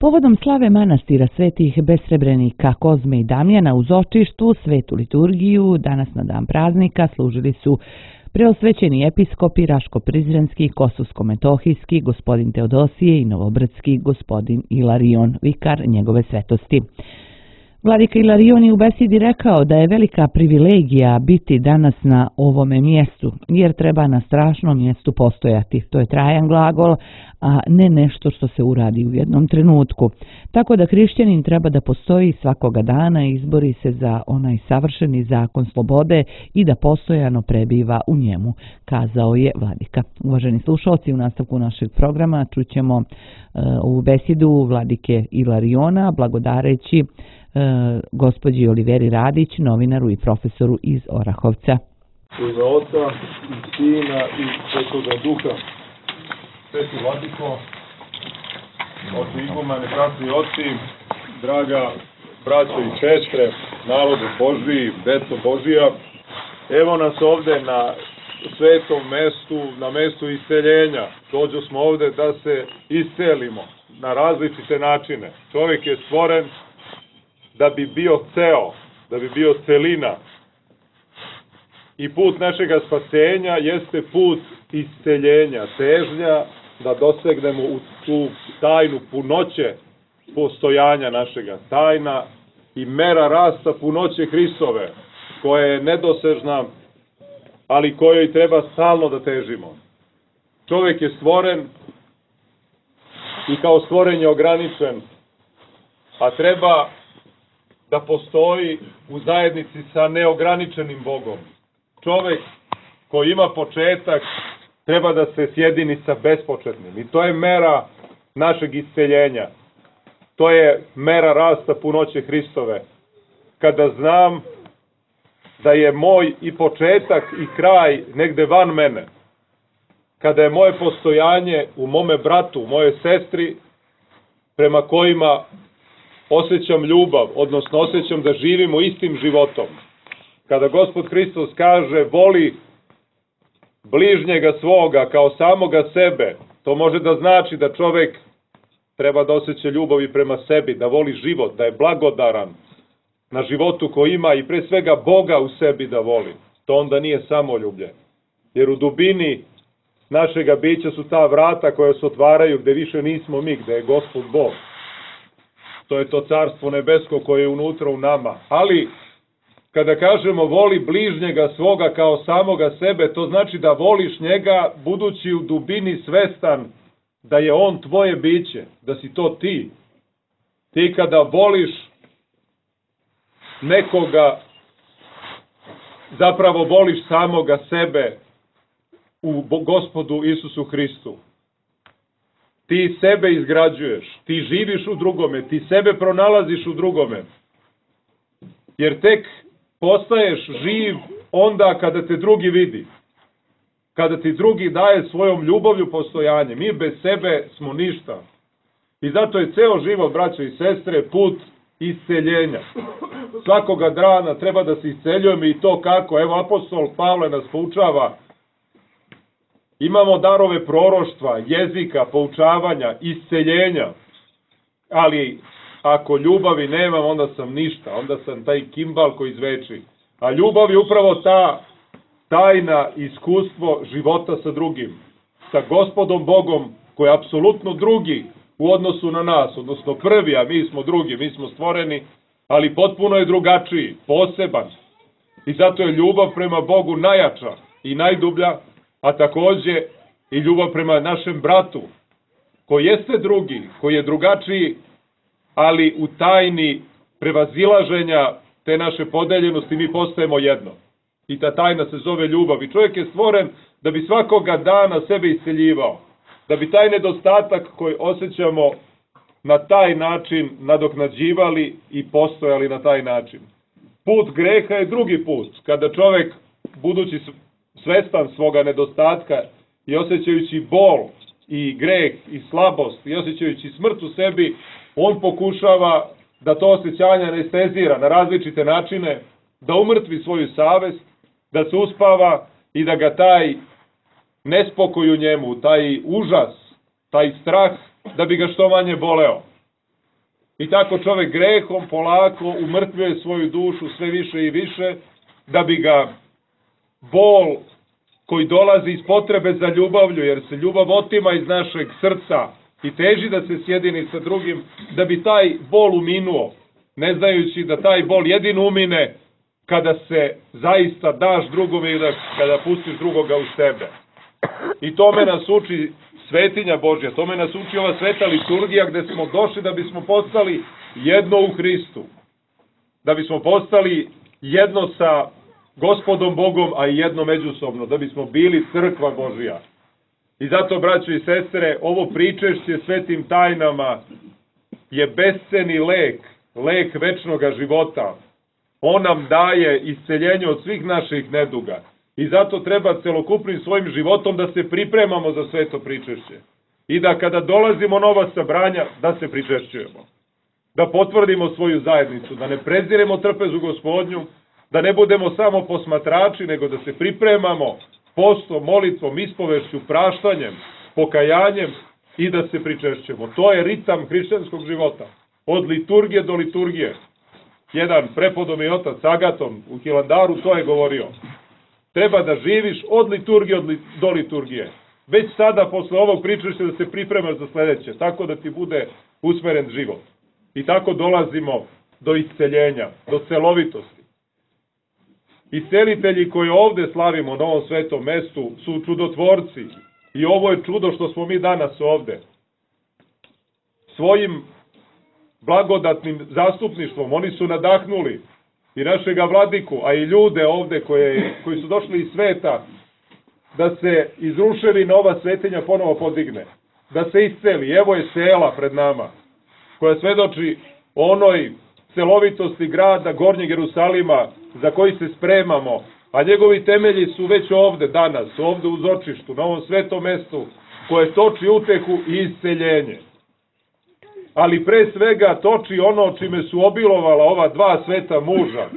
Povodom slave manastira svetih besrebrenika Kozme i Damjana u Zočištu, svetu liturgiju, danas na dan praznika služili su preosvećeni episkopi Raško-Prizrenski, Kosovsko-Metohijski, gospodin Teodosije i Novobrdski, gospodin Ilarion, vikar njegove svetosti. Vladika Ilarion je u besedi rekao da je velika privilegija biti danas na ovome mjestu, jer treba na strašnom mjestu postojati. To je trajan glagol, a ne nešto što se uradi u jednom trenutku. Tako da hrišćanin treba da postoji svakoga dana i izbori se za onaj savršeni zakon slobode i da postojano prebiva u njemu, kazao je vladika. Uvaženi slušalci, u nastavku našeg programa čućemo ovu besedu vladike Ilariona, blagodareći gospođi Oliveri Radić, novinaru i profesoru iz Orahovca. U ime Oca i Sina i Svetoga Duha. Sveti vladiko, oci igumani, bratri i oci, draga braćo i sestre, narode Božiji, deco Božija, evo nas ovde na svetom mestu, na mestu isceljenja. Dođo smo ovde da se iscelimo na različite načine. Čovjek je stvoren da bi bio ceo, da bi bio celina. I put našega spasenja jeste put isceljenja, težnja da dosegnemo u tu tajnu punoće postojanja našega, tajna i mera rasta punoće Hristove, koja je nedosežna, ali kojoj treba stalno da težimo. Čovjek je stvoren i kao stvoren je ograničen, a treba da postoji u zajednici sa neograničenim Bogom. Čovjek koji ima početak treba da se sjedini sa bespočetnim. I to je mera našeg isceljenja. To je mera rasta punoće Hristove. Kada znam da je moj i početak i kraj negde van mene. Kada je moje postojanje u mome bratu, u moje sestri, prema kojima osjećam ljubav, odnosno osjećam da živimo istim životom. Kada Gospod Hristos kaže voli bližnjega svoga kao samoga sebe, to može da znači da čovjek treba da osjeća ljubav i prema sebi, da voli život, da je blagodaran na životu koji ima i pre svega Boga u sebi da voli. To onda nije samoljublje. Jer u dubini našega bića su ta vrata koja se otvaraju gde više nismo mi, gde je Gospod Bog. To je to carstvo nebesko koje je unutra u nama. Ali, kada kažemo voli bližnjega svoga kao samoga sebe, to znači da voliš njega budući u dubini svestan da je on tvoje biće, da si to ti. Ti kada voliš nekoga, zapravo voliš samoga sebe u Gospodu Isusu Hristu. Ti sebe izgrađuješ, ti živiš u drugome, ti sebe pronalaziš u drugome. Jer tek postaješ živ onda kada te drugi vidi. Kada ti drugi daje svojom ljubavlju postojanje. Mi bez sebe smo ništa. I zato je ceo život, braćo i sestre, put isceljenja. Svakoga dana treba da se isceljujemo i to kako. Evo, apostol Pavle nas poučava. Imamo darove proroštva, jezika, poučavanja, isceljenja. Ali ako ljubavi nemam, onda sam ništa. Onda sam taj kimbal koji zveči. A ljubav je upravo ta tajna iskustvo života sa drugim. Sa Gospodom Bogom koji je apsolutno drugi u odnosu na nas. Odnosno prvi, a mi smo drugi, mi smo stvoreni. Ali potpuno je drugačiji, poseban. I zato je ljubav prema Bogu najjača i najdublja. A takođe i ljubav prema našem bratu, koji jeste drugi, koji je drugačiji, ali u tajni prevazilaženja te naše podeljenosti mi postajemo jedno. I ta tajna se zove ljubav. I čovjek je stvoren da bi svakoga dana sebe isceljivao. Da bi taj nedostatak koji osjećamo na taj način nadoknađivali i postojali na taj način. Put greha je drugi put. Kada čovjek, budući svestan svoga nedostatka i osjećajući bol i greh i slabost i osjećajući smrt u sebi, on pokušava da to osjećanje anestezira na različite načine, da umrtvi svoju savest, da se uspava i da ga taj nespokoj u njemu, taj užas, taj strah, da bi ga što manje boleo. I tako čovjek grehom polako umrtvuje svoju dušu sve više i više, da bi ga bol koji dolazi iz potrebe za ljubavlju, jer se ljubav otima iz našeg srca i teži da se sjedini sa drugim, da bi taj bol uminuo, ne znajući da taj bol jedino umine kada se zaista daš drugome i kada pustiš drugoga u sebe. I tome nas uči svetinja Božja, tome nas uči ova sveta liturgija, gde smo došli da bismo postali jedno u Hristu, da bismo postali jedno sa Gospodom Bogom, a i jedno međusobno, da bismo bili crkva Božja. I zato, braćo i sestre, ovo pričešće svetim tajnama je besceni lek, lek večnoga života. On nam daje isceljenje od svih naših neduga. I zato treba celokupnim svojim životom da se pripremamo za sveto pričešće. I da kada dolazimo na ova sabranja, da se pričešćujemo. Da potvrdimo svoju zajednicu, da ne preziremo trpezu Gospodnju, da ne budemo samo posmatrači, nego da se pripremamo postom, molitvom, ispovešću, praštanjem, pokajanjem i da se pričešćujemo. To je ritam hrišćanskog života. Od liturgije do liturgije. Jedan prepodobni otac Agaton u Hilandaru to je govorio. Treba da živiš od liturgije do liturgije. Već sada, posle ovog pričešća, da se pripremaš za sledeće, tako da ti bude usmeren život. I tako dolazimo do isceljenja, do celovitosti. Iscelitelji koji ovde slavimo na ovom svetom mestu su čudotvorci. I ovo je čudo što smo mi danas ovde. Svojim blagodatnim zastupništvom oni su nadahnuli i našega vladiku, a i ljude ovde koji su došli iz sveta, da se izrušeni na ova svetinja ponovo podigne, da se isceli. Evo je sela pred nama, koja svedoči onoj celovitosti grada Gornjeg Jerusalima, za koji se spremamo, a njegovi temelji su već ovde danas, ovde u Zočištu, na ovom svetom mestu, koje toči utehu i isceljenje. Ali pre svega toči ono čime su obilovala ova dva sveta muža,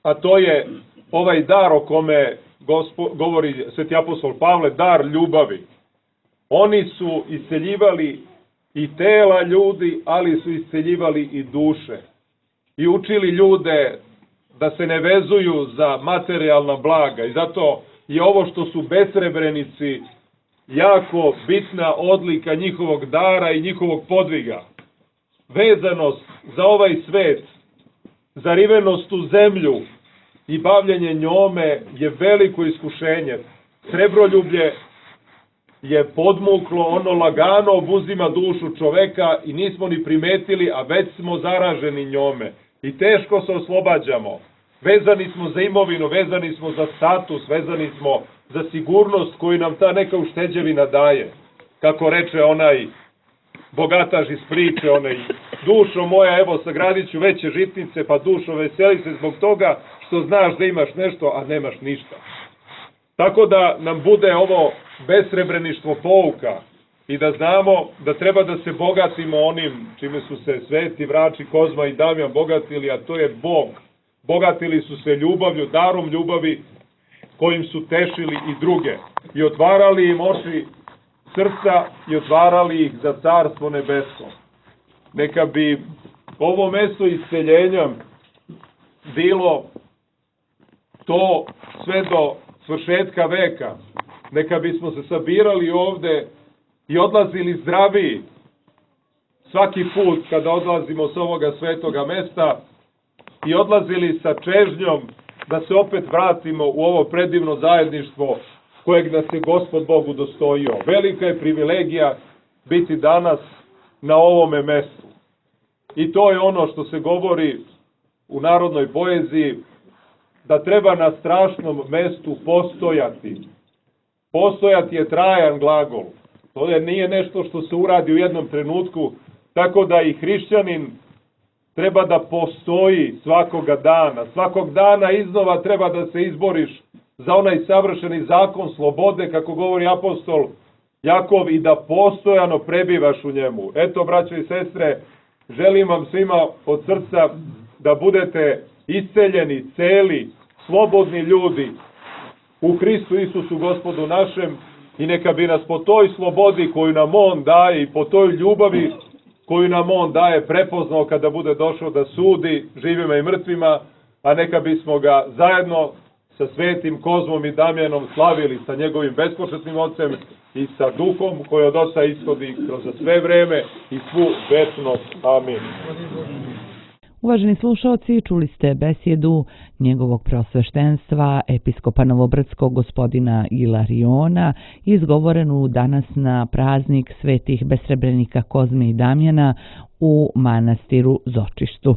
a to je ovaj dar o kome govori sveti apostol Pavle, dar ljubavi. Oni su isceljivali i tela ljudi, ali su isceljivali i duše. I učili ljude da se ne vezuju za materijalna blaga. I zato je ovo što su besrebrenici jako bitna odlika njihovog dara i njihovog podviga. Vezanost za ovaj svet, zarivenost u zemlju i bavljenje njome je veliko iskušenje. Srebroljublje je podmuklo, ono lagano obuzima dušu čoveka i nismo ni primetili, a već smo zaraženi njome. I teško se oslobađamo. Vezani smo za imovinu, vezani smo za status, vezani smo za sigurnost koju nam ta neka ušteđevina daje. Kako reče onaj bogataš iz priče, onaj: dušo moja, evo sagradit ću veće žitnice, pa dušo veseli se zbog toga što znaš da imaš nešto, a nemaš ništa. Tako da nam bude ovo besrebreništvo pouka i da znamo da treba da se bogatimo onim čime su se sveti vrači Kozma i Damjan bogatili, a to je Bog. Bogatili su se ljubavlju, darom ljubavi kojim su tešili i druge i otvarali im oči srca i otvarali ih za carstvo nebesko. Neka bi ovo mesto isceljenja bilo to sve do svršetka veka. Neka bismo se sabirali ovde i odlazili zdraviji svaki put kada odlazimo s ovoga svetoga mesta i odlazili sa čežnjom da se opet vratimo u ovo predivno zajedništvo kojeg nas je Gospod Bog udostojio. Velika je privilegija biti danas na ovome mestu. I to je ono što se govori u narodnoj poeziji, da treba na strašnom mestu postojati. Postojati je trajan glagol. To nije nešto što se uradi u jednom trenutku, tako da i hrišćanin treba da postoji svakoga dana. Svakog dana iznova treba da se izboriš za onaj savršeni zakon slobode, kako govori apostol Jakov, i da postojano prebivaš u njemu. Eto, braćo i sestre, želim vam svima od srca da budete isceljeni, celi, slobodni ljudi u Hristu Isusu Gospodu našem, i neka bi nas po toj slobodi koju nam On daje i po toj ljubavi koju nam on daje prepoznao kada bude došao da sudi živima i mrtvima, a neka bismo ga zajedno sa svetim Kozmom i Damjanom slavili sa njegovim bespočetnim ocem i sa duhom koji od oca ishodi kroz sve vreme i svu večnost. Amin. Uvaženi slušalci, čuli ste besjedu njegovog preosveštenstva, episkopa Novobrdskog gospodina Ilariona, izgovorenu danas na praznik svetih besrebrenika Kozme i Damjana u manastiru Zočištu.